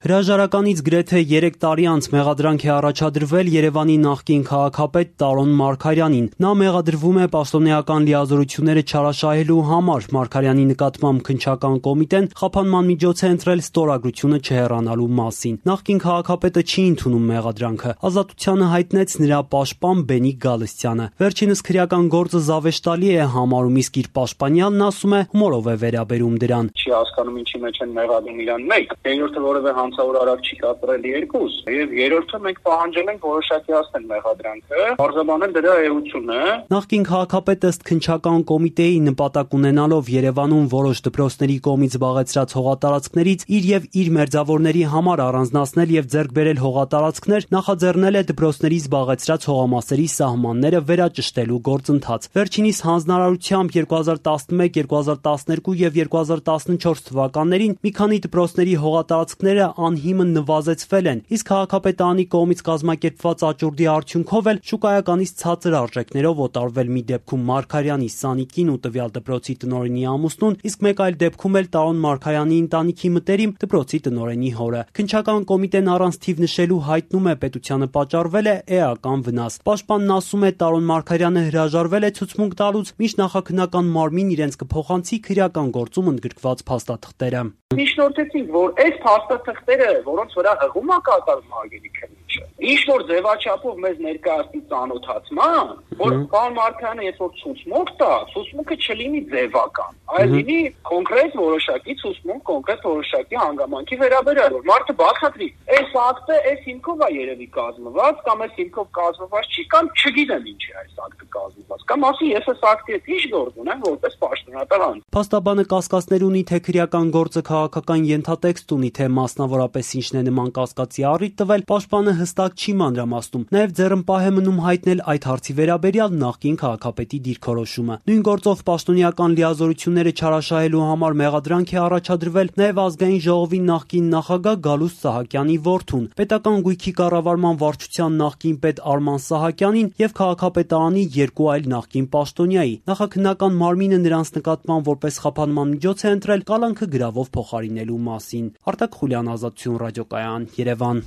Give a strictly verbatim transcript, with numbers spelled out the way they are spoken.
Հրաժարականից գրեթե երեք տարի անց մեղադրանք է առաջադրվել Երևանի նախկին քաղաքապետ Տարոն Մարգարյանին։ Նա մեղադրվում է պաշտոնեական լիազորությունները չարաշահելու համար։ Մարգարյանի նկատմամբ քննչական կոմիտեն խափանման միջոց է ընտրել ստորագրությունը չհեռանալու մասին։ Նախկին քաղաքապետը չի ընդունում մեղադրանքը։ Ազատությանը հայտնեց նրա պաշտպան Բենիկ Գալստյանը։ Վերջինս քրեական գործը զավեշտալի է համարում, իսկ իր պաշտպանյալն ասում է հումորով է վերաբերում դրան։ Չի հասկանում ինչի մեջ են մեղադրում իրան մեկ, երրորդը որևէ հանցավոր արարք չի կատարել երկուս, եւ երրորդը մենք պահանջել ենք որոշակի հասնել մեղադրանքը, արձանագրել դրա էությունը։ Նախկին քաղաքապետը ըստ քննչական կոմիտեի նպատակ ունենալով Երևանում որոշ դպրոցների կողմից զբաղեցրած հողատարածքներից իր եւ իր մերձավորների համար առանձնացնել եւ ձեռք բերել հողատարածքներ, նախաձեռնել է դպրոցների զբաղեցրած հողամասերի սահմանները վերաճշտելու գործընթաց։ Վերջինիս հանձնարարությամբ երկու հազար տասնմեկ, երկու հազար տասներկու եւ երկու հազար տասնչորս թվականներին մի քանի դպրոցների հողատարածքները անհիմն նվազեցվել են, իսկ քաղաքապետարանի կողմից կազմակերպված աճուրդի արդյունքով էլ շուկայականից ցածր արժեքներով օտարվել մի դեպքում Մարգարյանի Սանիկին ու տվյալ դպրոցի տնօրենի ամուսնուն, իսկ մեկ այլ դեպքում էլ Տարոն Մարգարյանի ընտանիքի մտերիմ դպրոցի տնօրենի հորը։ Քննչական կոմիտեն առանց թիվ նշելու հայտնում է պետությանը պատճառվել է էական վնաս։ Պաշտպանն ասում է Տարոն Մարգարյանը հրաժարվել է ցուցմունք տալուց, մինչ նախաքննական մարմինն իրենց կփոխանցի քրեական գործում ընդգրկված փաստաթղթերը։ Միջնորդեցինք, որ այս փաստաթղթերը, որոնց վրա հղում է կատարում Արգենիկ Քննիչը, ինչ որ ձևաչափով մեզ ներկայացնի ծանոթացման, որ պարոն Մարգարյանը երբ որ ցուցմունք տա, ցուցմունքը չլինի ձևական, այլ լինի կոնկրետ որոշակի ցուցմունք, կոնկրետ որոշակի հանգամանքի վերաբերյալ, որ մարդը բացատրի, այս ակտը այս հիմքով է երևի կազմված, կամ այս հիմքով կազմված չի, կամ չգիտեմ ինչ է այս ակտը կազմված, կամ ասի ես այս ակտի հետ ինչ գործ ունեմ որպես պաշտոնատար անձ։ Փաստաբանը կասկածներ ունի, թե քրեական գործը քաղաքական ենթատեքստ ունի, թե մասնավորապես ինչն է նման կասկածի առիթ տվել, պաշտպանը հստակ չի մանրամասնում։ Նաև ձեռնպահ է մնում հայտնել այդ հարցի վերաբերյալ նախկին քաղաքապետի դիրքորոշումը։ Նույն գործով պաշտոնեական լիազորությունները չարաշահելու համար մեղադրանք է առաջադրվել նաև Ազգային ժողովի նախկին նախագահ Գալուստ Սահակյանի որդուն, պետական գույքի կառավարման վարչության նախկին պետ Արման Սահակյանին եւ քաղաքապետարանի երկու այլ նախկին պաշտոնյայի։ Նախաքննական մարմինը նրանց նկատմամբ որպես խափանման միջոց է ընտրել կալանքը գրավով փոխարինելու մասին։ Արտակ Խուլյան, Ազատություն ռադիոկայան, Երևան։